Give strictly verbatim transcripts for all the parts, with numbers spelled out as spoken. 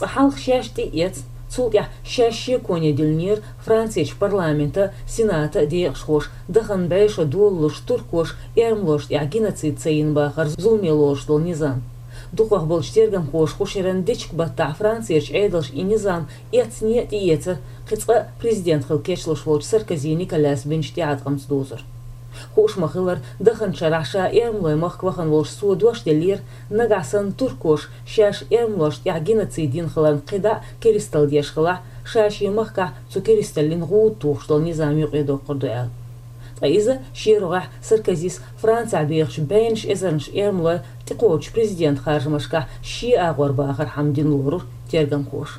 Ткъа хьалха шаьш тӀеэцна, цул тӀаьхьа шаьш шеконе диллинера Францерчу парламента, сената декъашхоша, дахана бӀешо долалуш туркоша эрмалошна тӀехь геноцид ца йина бахар зуламе лоруш долу низам. Дукхах болчу тергамхоша хӀун шеран дечиг баттахь Францерчу Ӏедалша и низам эцне а тӀеэцара, кхин цкъа а президент хила кечлуш волчу Саркози Николяс бинчу тӀеӀаткъамца дузура. Хууш ма-хиллара, даханчу шарахь ша эрмалойн махка вахана волуш цо дош деллера, нагахь санна туркоша шаьш эрмалошна тӀехь геноцид йина хиларна кхидӀа а керисталла деш хилахь, ша шен махкахь цу керисталлин гӀуда тухуш долу низам юкъе доккхур ду аьлла. Ткъа иза шен рогӀехь Саркозис Францехь бехачу бӀеннаш эзарнаш эрмалой тӀекхочучу президент харжамашкахь шен агӀор бахархьама дина лорура тергамхоша.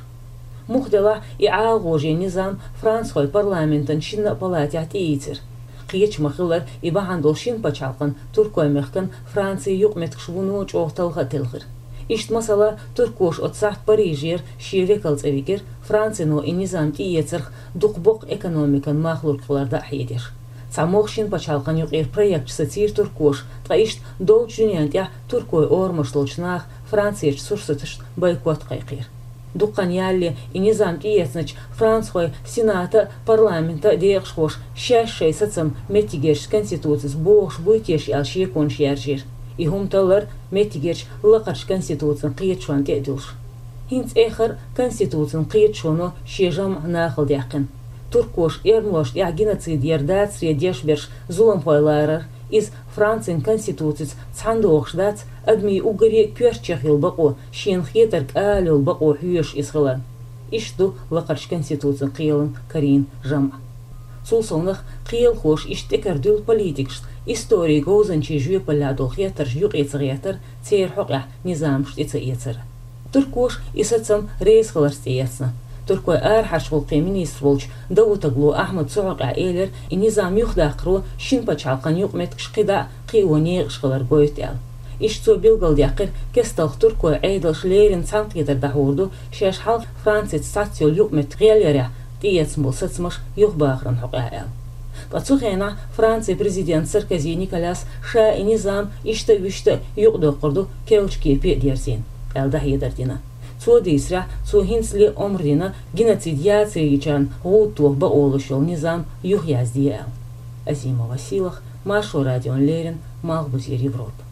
Муха делахь, и ӀалагӀожен низам францхойн парламентан шинна а палатехь тӀеийцира. Кхечу ма-хиллара, и бахьана долу шина пачхьалкхан, Туркойн мехкан, Францин юкъаметтигаш вуно чӀогӀа талха а телхира. Иштта, масала, туркоша оцу сахьт Парижера шен векал цӀа вигира, Францино и низам тӀеэцарх дукха боккха экономикан мах лург хилар дӀахьедеш. Цхьа могӀа шина пачхьалкхан юкъера проект сацийра туркоша, ткъа иштта долчу дуьнен тӀехь туркойн орамаш долчу наха Францерчу сурсаташна бойкот кхайкхийра. Дуккха хан ялале и низам тӀеэцначу францхойн сената а, парламента а декъашхоша шаьш шайн сацам меттигерчу конституцица бохуш буй теша аьлла шеконаш яржийра. И хӀума таллар меттигерчу лакхарчу конституцин кхеташонна тӀе а дуьллуш. ХӀинца эххар а конституцин кхеташоно шен жамӀ нахала даьккхина. Туркоша эрмалошна тӀехь геноцид яр дацаре деш берш зуламхой ларар, иза Францин конституцица цхьаьна догӀуш дац, адамийн уггаре а коьртачех йолу бакъо, шена хетарг ала йолу бакъо хьоьжуш иза хиларна. Иштта ду лакхарчу конституцин кхелан карийна жамӀ. Цул совнаха, кхелахоша иштта тӀекара дуьллу политикашна историн говзанчийн жоьпаллехь долу хеттарш юкъе ца гӀеттар, церан хьокъехь низамаш тӀе ца эцар. Туркоша и сацам реза хиларца тӀеэцна. Туркойн арахьарчу гӀуллакхийн министр волчу Давутоглу Ахьмада цу хьокъехь элира, и низам юхадаккхаро шина пачхьалкхан юкъаметтигаш кхидӀа а кхио некъаш хилар гойту аьлла. Иштта цо билгалдаьккхира, кесталха туркойн Ӏедалш леррина цхьаьнакхетар дӀахьур ду, шаьш хьалха Францица цхьацца йолу юкъаметтиг гӀелъярехь тӀеэцна болу сацамаш юхабахаран хьокъехь аьлла. Ткъа цу хенахь Францин президент Саркози Николяс ша и низам иштта а, вуьшта а юкъадоккхур ду керлачу кепе а дерзийна, аьлла дӀахьедар дина. Цо дийцарехь, цо хӀинцале омра дина геноцид яцаре йичарна гӀуда тоха бакъо луш йолу низам юхаязде аьлла. Азимова Сийлаха, Маршо радиона леррина, Малхбузера Европа.